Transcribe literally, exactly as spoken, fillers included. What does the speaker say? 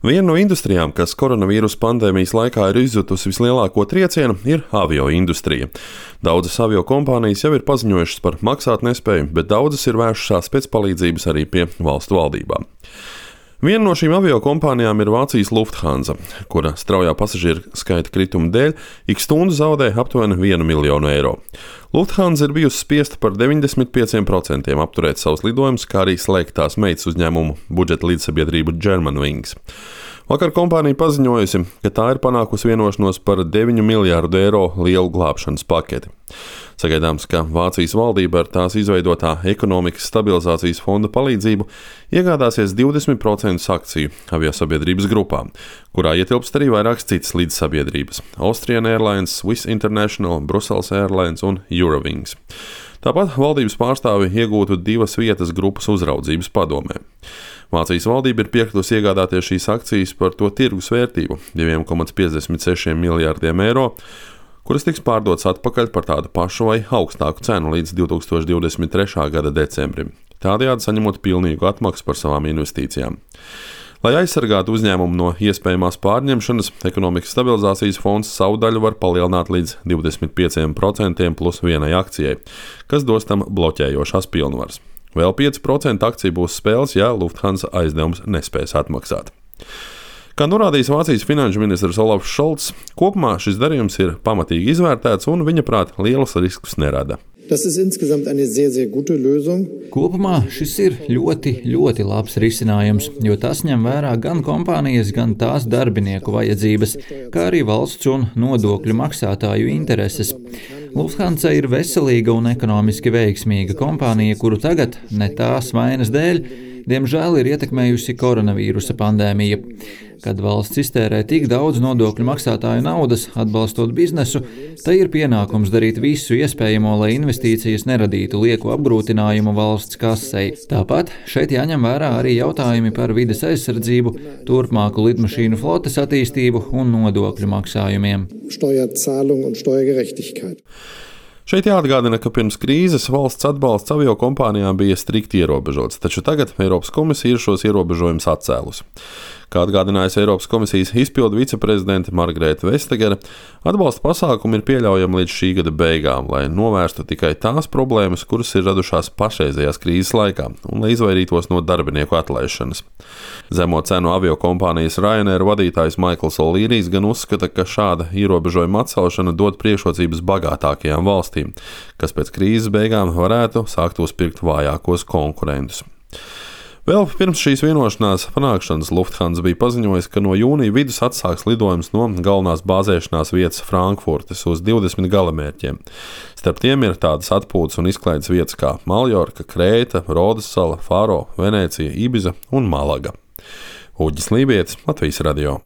Viena no industrijām, kas koronavīrusa pandēmijas laikā ir izjutusi vislielāko triecienu, ir avio industrija. Daudzas avio kompānijas jau ir paziņojušas par maksātnespēju, bet daudzas ir vēršušās pēc palīdzības arī pie valstu valdībām. Viena no šīm avio kompānijām ir Vācijas Lufthansa, kura straujā pasažieru skaita krituma dēļ ik stundu zaudē aptuveni vienu miljonu eiro. Lufthansa ir bijusi spiesta par deviņdesmit pieciem procentiem apturēt savus lidojumus, kā arī slēgt tās meitas uzņēmumu budžeta līdzsabiedrību Germanwings. Vakar kompānija paziņojusi, ka tā ir panākusi vienošanos par deviņu miljārdu eiro lielu glābšanas paketi. Sagaidāms, ka Vācijas valdība ar tās izveidotā ekonomikas stabilizācijas fonda palīdzību iegādāsies divdesmit procentus akciju aviosabiedrības grupā, kurā ietilpst arī vairākas citas līdzsabiedrības – Austrian Airlines, Swiss International, Brussels Airlines un Eurowings. Tāpat valdības pārstāvi iegūtu divas vietas grupas uzraudzības padomē. Vācijas valdība ir piekritusi iegādāties šīs akcijas par to tirgus vērtību – divi komats piecdesmit seši miljārdiem eiro, kuras tiks pārdotas atpakaļ par tādu pašu vai augstāku cenu līdz divi tūkstoši divdesmit trešā gada decembrim, tādējādi saņemot pilnīgu atmaksu par savām investīcijām. Lai aizsargātu uzņēmumu no iespējamās pārņemšanas, ekonomikas stabilizācijas fonds savu daļu var palielināt līdz divdesmit pieciem procentiem plus vienai akcijai, kas dos tam bloķējošās pilnvaras. Vēl pieci procenti akciju būs spēles, ja Lufthansa aizdevums nespēs atmaksāt. Kā norādījis Vācijas finanšu ministrs Olafs Šolts, kopumā šis darījums ir pamatīgi izvērtēts un viņa prāt lielus riskus nerada. Kopumā šis ir ļoti, ļoti labs risinājums, jo tas ņem vērā gan kompānijas, gan tās darbinieku vajadzības, kā arī valsts un nodokļu maksātāju intereses. Lufthansa ir veselīga un ekonomiski veiksmīga kompānija, kuru tagad, ne tās vainas dēļ, diemžēl ir ietekmējusi koronavīrusa pandēmija. Kad valsts iztērē tik daudz nodokļu maksātāju naudas, atbalstot biznesu, tai ir pienākums darīt visu iespējamo, lai investīcijas neradītu lieku apgrūtinājumu valsts kasei. Tāpat šeit jāņem vērā arī jautājumi par vides aizsardzību, turpmāku lidmašīnu flotes attīstību un nodokļu maksājumiem. Šeit jāatgādina, ka pirms krīzes valsts atbalsts avio kompānijām bija strikti ierobežots, taču tagad Eiropas komisija ir šos ierobežojumus atcēlusi. Kā atgādinājusi Eiropas komisijas izpildu viceprezidente Margrethe Vestager, atbalsta pasākumi ir pieļaujami līdz šī gada beigām, lai novērstu tikai tās problēmas, kuras ir radušās pašreizējās krīzes laikā, un lai izvairītos no darbinieku atlaišanas. Zemo cenu avio kompānijas Ryanair vadītājs Maikls O'Learys gan uzskata, ka šāda ierobežojuma atcelšana dod priekšrocības bagātākajām valstīm, kas pēc krīzes beigām varētu sākt uzpirkt vājākos konkurentus. Vēl pirms šīs vienošanās panākšanas Lufthansa bija paziņojis, ka no jūnija vidus atsāks lidojums no galvenās bāzēšanās vietas Frankfurtes uz divdesmit galamērķiem. Starp tiem ir tādas atpūtas un izklaides vietas kā Maljorka, Krēta, Rodas sala, Faro, Venecija, Ibiza un Malaga. Uģis Lībietis, Latvijas radio.